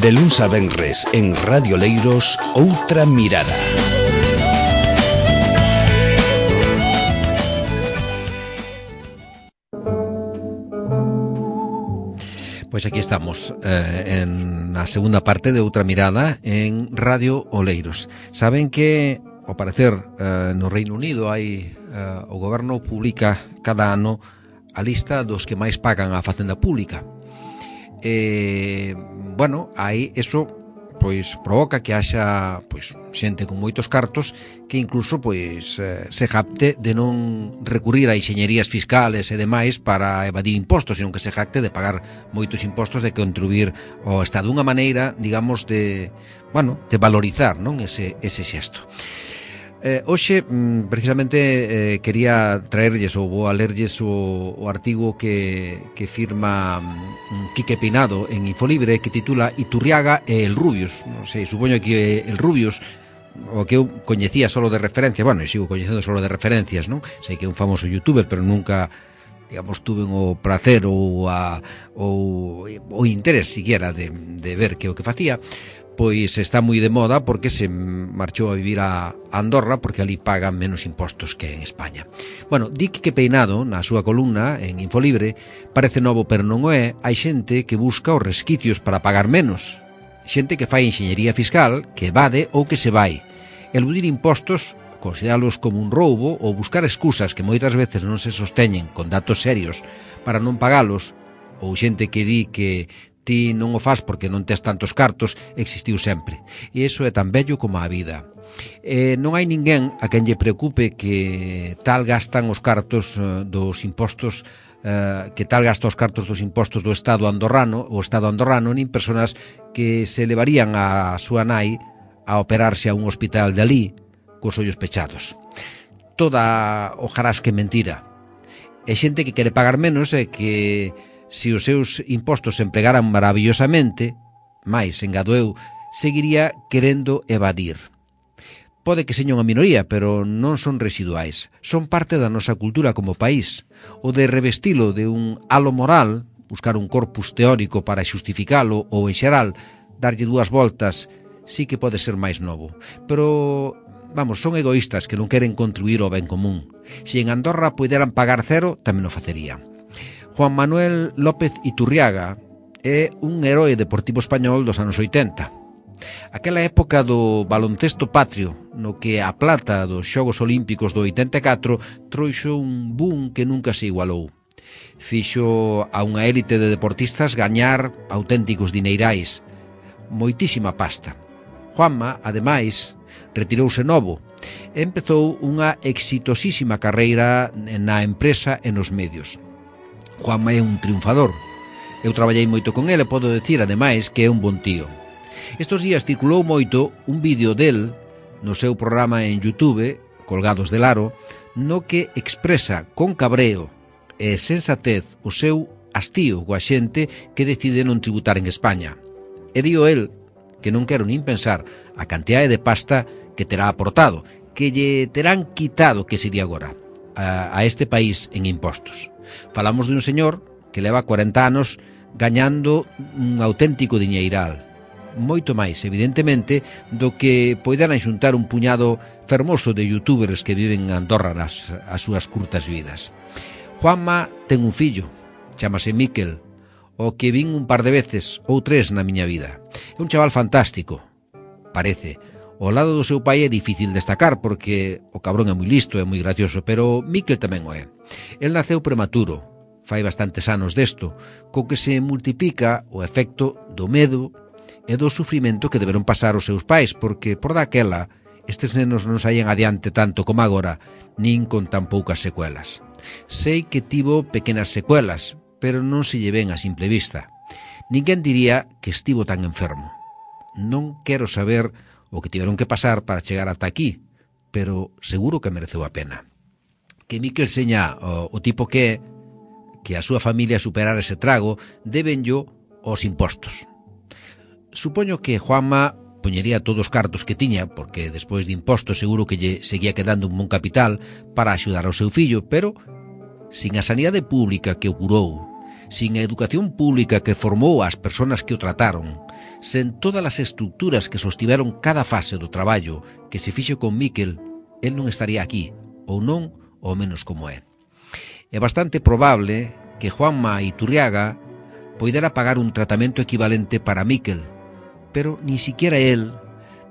De luns a venres en Radio Oleiros, Outra Mirada. Pois aquí estamos en a segunda parte de Outra Mirada en Radio Oleiros. Saben que, ao parecer, no Reino Unido hai o goberno publica cada ano a lista dos que máis pagan a facenda pública. Bueno, aí eso pois provoca que haxa pois xente con moitos cartos que incluso pois se jacte de non recurrir a enxeñerías fiscales e demais para evadir impostos, senón que se jacte de pagar moitos impostos, de contribuir ao Estado, unha maneira, digamos, de, bueno, de valorizar, non, ese xesto. Hoxe, precisamente, quería traerlles ou vou a lerlles o artigo que firma Quique Peinado en Infolibre, que titula Iturriaga e el Rubius. Non sei, supoño que el Rubius, o que eu coñecía solo de referencia, bueno, e sigo coñecendo solo de referencias, non? Sei que é un famoso youtuber, pero nunca, digamos, tuve o placer ou o interés siquiera de ver que o que facía. Pois está moi de moda porque se marchou a vivir a Andorra, porque ali pagan menos impostos que en España. Bueno, di que Peinado, na súa columna en Infolibre, parece novo pero non o é, hai xente que busca os resquicios para pagar menos, xente que fai enxeñería fiscal, que evade ou que se vai. Eludir impostos, consideralos como un roubo ou buscar excusas que moitas veces non se sosteñen con datos serios para non pagalos, ou xente que di que ti non o faz porque non tes tantos cartos, existiu sempre. E iso é tan bello como a vida. Non hai ninguén a quen lle preocupe que tal gastan os cartos dos impostos, que tal gasta os cartos dos impostos do Estado andorrano, o Estado andorrano, nin persoas que se levarían a súa nai a operarse a un hospital de alí cos ollos pechados. Toda hojarasca mentira. É xente que quere pagar menos e que se os seus impostos se empregaran maravillosamente, máis, engado eu, seguiría querendo evadir. Pode que seña unha minoría, pero non son residuais. Son parte da nosa cultura como país. O de revestilo de un halo moral, buscar un corpus teórico para xustificalo ou, en xeral, darlle dúas voltas, sí que pode ser máis novo. Pero, vamos, son egoístas que non queren contribuir ao ben común. Se en Andorra puderan pagar cero, tamén o facerían. Juan Manuel López Iturriaga é un heroe deportivo español dos anos 80. Aquela época do baloncesto patrio, no que a plata dos Xogos Olímpicos do 84 trouxo un boom que nunca se igualou. Fixo a unha élite de deportistas gañar auténticos dineirais, moitísima pasta. Juanma, ademais, retirouse novo e empezou unha exitosísima carreira na empresa e nos medios. Juanma é un triunfador. Eu traballei moito con ele e podo decir, ademais, que é un bon tío. Estos días circulou moito un vídeo del no seu programa en YouTube, Colgados del Aro, no que expresa con cabreo e sensatez o seu hastío coa xente que decide non tributar en España. E dio el que non quero nin pensar a cantidade de pasta que terá aportado, que lle terán quitado, que sería agora, a este país en impostos. Falamos de un señor que leva 40 anos gañando un auténtico diñeiral, moito máis, evidentemente, do que poidan xuntar un puñado fermoso de youtubers que viven en Andorra as súas curtas vidas. Juanma ten un fillo, chamase Miquel, o que vin un par de veces ou tres na miña vida. É un chaval fantástico, parece. Ao lado do seu pai é difícil destacar porque o cabrón é moi listo e moi gracioso, pero Miquel tamén o é. El naceu prematuro, fai bastantes anos desto, co que se multiplica o efecto do medo e do sufrimento que deberon pasar os seus pais, porque por daquela estes nenos non saían adiante tanto como agora, nin con tan poucas secuelas. Sei que tivo pequenas secuelas, pero non se lle ven a simple vista. Ninguén diría que estivo tan enfermo. Non quero saber o que tiveron que pasar para chegar ata aquí, pero seguro que mereceu a pena. Que Miquel seña o tipo que a súa familia superar ese trago, debenllo aos impostos. Supoño que Juanma poñería todos os cartos que tiña, porque despois de impostos seguro que lle seguía quedando un bon capital para axudar ao seu fillo, pero sin a sanidade pública que o curou, sin a educación pública que formou as persoas que o trataron, sen todas as estructuras que sostiveron cada fase do traballo que se fixo con Miquel, el non estaría aquí, ou non, ou menos como é. É bastante probable que Juanma Iturriaga poidera pagar un tratamento equivalente para Miquel, pero ni siquiera el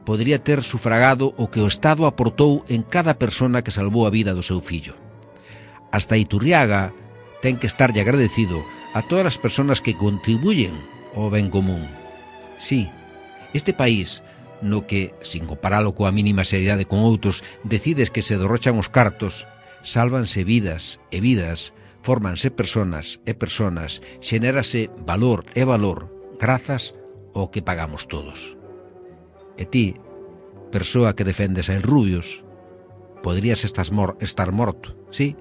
podría ter sufragado o que o Estado aportou en cada persona que salvou a vida do seu fillo. Hasta Iturriaga ten que estarlle agradecido a todas as persoas que contribuyen ao ben común. Sí, este país, no que, sin comparalo coa mínima seriedade con outros, decides que se derrochan os cartos, sálvanse vidas e vidas, fórmanse persoas e persoas, xenérase valor e valor, grazas ao que pagamos todos. E ti, persoa que defendes a Rubios, poderías estar morto, sí,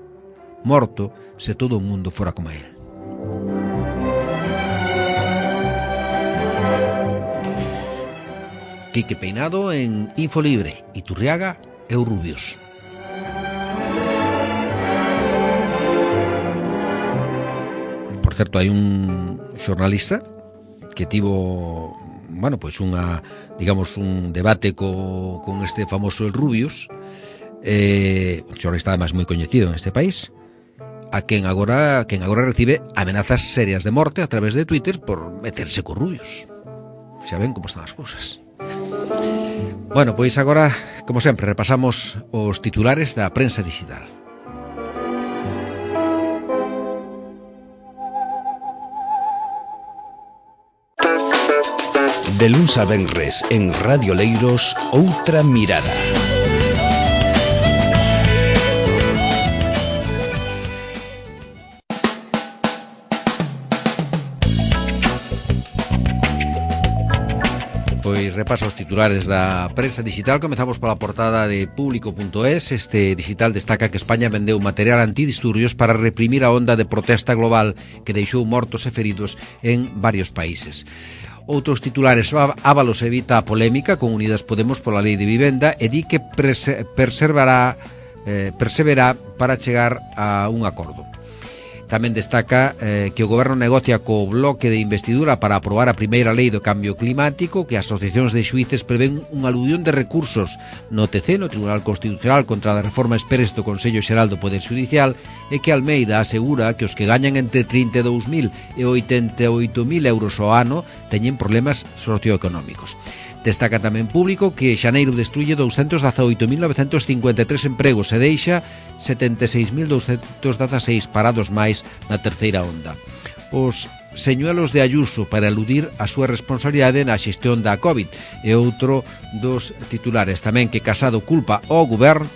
morto se todo o mundo fora como él. Quique Peinado en Infolibre, Iturriaga e os Rubios. Por certo, hai un xornalista que tivo, bueno, pois unha, digamos, un debate con este famoso El Rubios, un xornalista además moi coñecido en este país, a quen agora recibe amenazas serias de morte a través de Twitter por meterse con Rubios. Xa ven como están as cousas. Bueno, pois agora, como sempre, repasamos os titulares da prensa digital. De luns a venres en Radio Leiros, Outra Mirada. Pois repaso os titulares da prensa digital. Comezamos pola portada de Público.es. Este digital destaca que España vendeu material antidisturbios para reprimir a onda de protesta global que deixou mortos e feridos en varios países. Outros titulares: Ábalos evita a polémica con Unidas Podemos pola lei de vivenda e di que perseverará para chegar a un acordo. Tamén destaca que o Goberno negocia co bloque de investidura para aprobar a primeira lei do cambio climático, que as asociacións de xuíces prevén unha aludión de recursos no TC, no Tribunal Constitucional, contra a reforma exprés do Consello Xeral do Poder Xudicial, e que Almeida asegura que os que gañan entre 32.000 e 88.000 euros ao ano teñen problemas socioeconómicos. Destaca tamén Público que xaneiro destruye 218.953 empregos e deixa 76.216 parados máis na terceira onda. Os señuelos de Ayuso para eludir a súa responsabilidade na xestión da COVID e outro dos titulares tamén que Casado culpa ao Goberno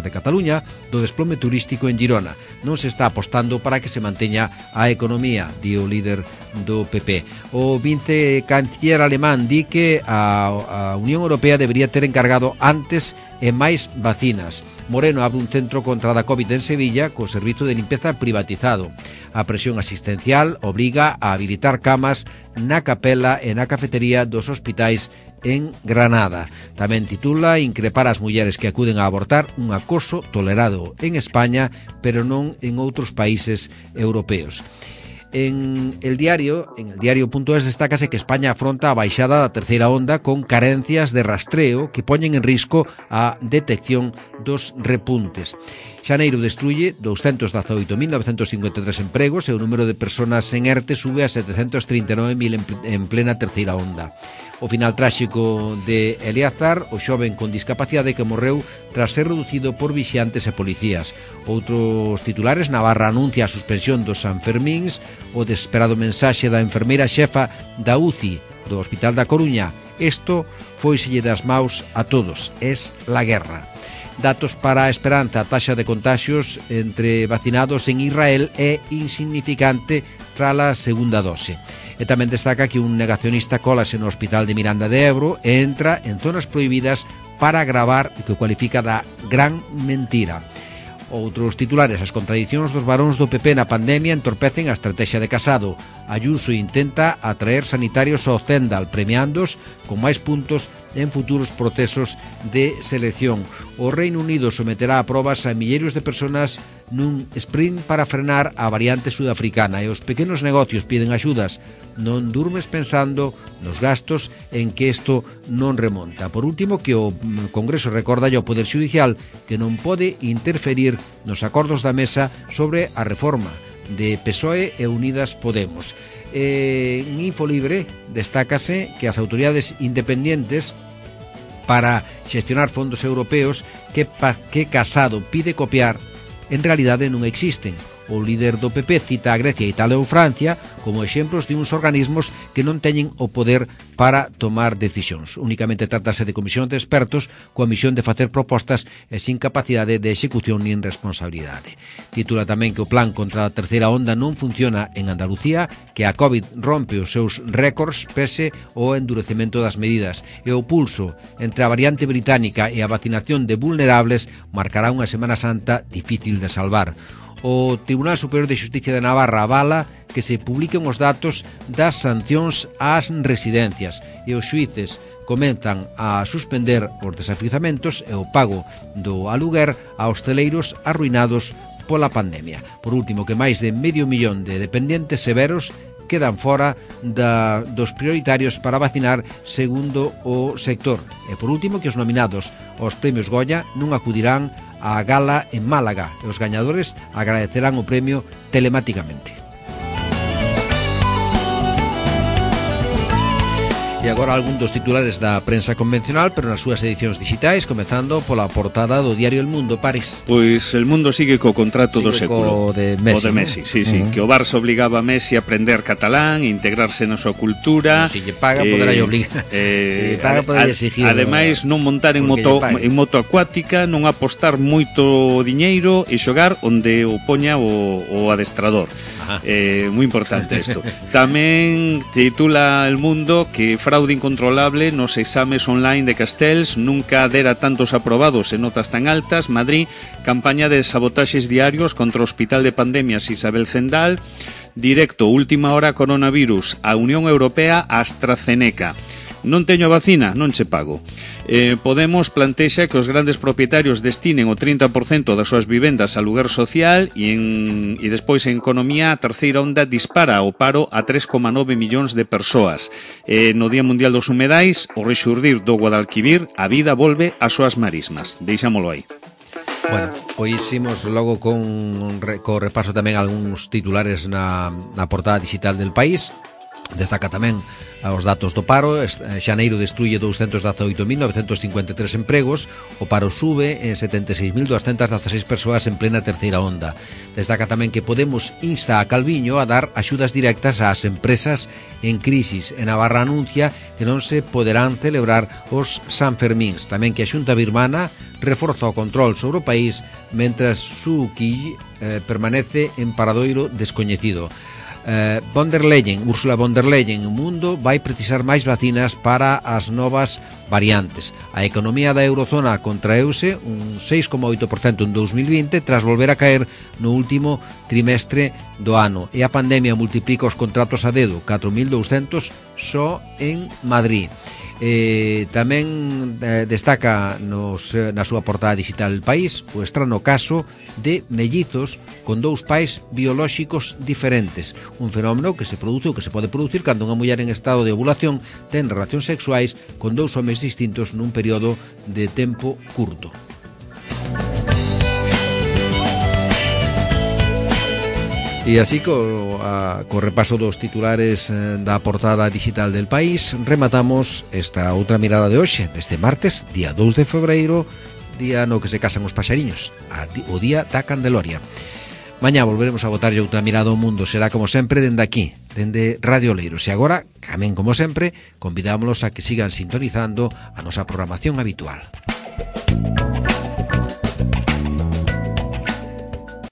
de Cataluña do desplome turístico en Girona. Non se está apostando para que se manteña a economía, di o líder do PP. O vicecanciller alemán di que a Unión Europea debería ter encargado antes e máis vacinas. Moreno abre un centro contra a COVID en Sevilla co servizo de limpeza privatizado. A presión asistencial obriga a habilitar camas na capela e na cafetería dos hospitais en Granada. Tamén titula increpar as mulleres que acuden a abortar, un acoso tolerado en España, pero non en outros países europeos. En el diario.es destácase que España afronta a baixada da terceira onda con carencias de rastreo que poñen en risco a detección dos repuntes. Xaneiro destruye 218.953 empregos e o número de persoas en ERTE sube a 739.000 en plena terceira onda. O final tráxico de Eleazar, o xoven con discapacidade que morreu tras ser reducido por vixiantes e policías. Outros titulares: Navarra anuncia a suspensión dos Sanfermíns, o desesperado mensaxe da enfermeira xefa da UCI do Hospital da Coruña. Isto foiselle das maus a todos, es la guerra. Datos para a esperanza: a taxa de contaxios entre vacinados en Israel é insignificante trala segunda dose. E tamén destaca que un negacionista colase no Hospital de Miranda de Ebro e entra en zonas prohibidas para gravar o que cualifica da gran mentira. Outros titulares: as contradicións dos varóns do PP na pandemia entorpecen a estrategia de Casado. Ayuso intenta atraer sanitarios ao Zendal, premiándos con máis puntos en futuros procesos de selección. O Reino Unido someterá a probas a milleiros de personas nun sprint para frenar a variante sudafricana, e os pequenos negocios piden axudas. Non durmes pensando nos gastos en que isto non remonta. Por último, que o Congreso recorda ao Poder Xudicial que non pode interferir nos acordos da mesa sobre a reforma de PSOE e Unidas Podemos. En Infolibre destácase que as autoridades independientes para xestionar fondos europeos que Casado pide copiar en realidade non existen. O líder do PP cita a Grecia, Italia ou Francia como exemplos de uns organismos que non teñen o poder para tomar decisións. Únicamente tratase de comisión de expertos coa misión de facer propostas e sin capacidade de execución nin responsabilidade. Titula tamén que o plan contra a terceira onda non funciona en Andalucía, que a COVID rompe os seus récords pese ao endurecemento das medidas, e o pulso entre a variante británica e a vacinación de vulnerables marcará unha Semana Santa difícil de salvar. O Tribunal Superior de Xusticia de Navarra avala que se publiquen os datos das sancións ás residencias, e os xuíces comenzan a suspender os desafiuzamentos e o pago do aluguer a hosteleiros arruinados pola pandemia. Por último, que máis de 500.000 de dependentes severos quedan fora dos prioritarios para vacinar segundo o sector. E por último, que os nominados aos premios Goya non acudirán á gala en Málaga e os gañadores agradecerán o premio telematicamente. E agora algún dos titulares da prensa convencional, pero nas súas edicións digitais, comezando pola portada do diario El Mundo, París. Pois El Mundo sigue co contrato do século. O de Messi, o de Messi, sí, sí. Que o Barça obligaba a Messi a aprender catalán, integrarse na súa cultura. Se lle paga, poderá obligar. Se lle paga, poderá exigir. Ademais, non montar en moto acuática, non apostar moito diñeiro e xogar onde o poña o adestrador. Moi importante isto. Tamén titula El Mundo que fraude incontrolable nos exames online de Castells, nunca dera tantos aprobados e notas tan altas. Madrid, campaña de sabotaxes diarios contra o Hospital de Pandemias Isabel Zendal. Directo, última hora coronavirus, a Unión Europea, AstraZeneca. Non teño a vacina, non che pago. Podemos plantexa que os grandes propietarios destinen o 30% das súas vivendas a lugar social e despois en economía a terceira onda dispara o paro a 3,9 millóns de persoas. No Día Mundial dos Humedais, o rexurdir do Guadalquivir, a vida volve ás súas marismas. Deixámolo aí. Bueno, pois imos logo co repaso tamén algúns titulares na portada digital del País. Destaca tamén os datos do paro. Xaneiro destruye 218.953 empregos. O paro sube en 76.216 persoas en plena terceira onda. Destaca tamén que Podemos insta a Calviño a dar axudas directas ás empresas en crisis. En Navarra anuncia que non se poderán celebrar os Sanfermíns. Tamén que a Xunta birmana reforza o control sobre o país mentras Suu Kyi permanece en paradoiro descoñecido. Ursula von der Leyen, o mundo vai precisar máis vacinas para as novas variantes. A economía da eurozona contraeuse un 6,8% en 2020 tras volver a caer no último trimestre do ano, e a pandemia multiplica os contratos a dedo, 4.200 só en Madrid. Tamén destaca na súa portada digital El País o estrano caso de mellizos con dous pais biolóxicos diferentes, un fenómeno que se produce ou que se pode producir cando unha muller en estado de ovulación ten relacións sexuais con dous homes distintos nun período de tempo curto. E así, co repaso dos titulares da portada digital del País, rematamos esta outra mirada de hoxe, este martes, día 2 de febreiro, día no que se casan os paxariños, o día da Candeloria. Mañá volveremos a botarlle outra mirada ao mundo, será como sempre dende aquí, dende Radio Oleiros. E agora, tamén como sempre, convidámolos a que sigan sintonizando a nosa programación habitual.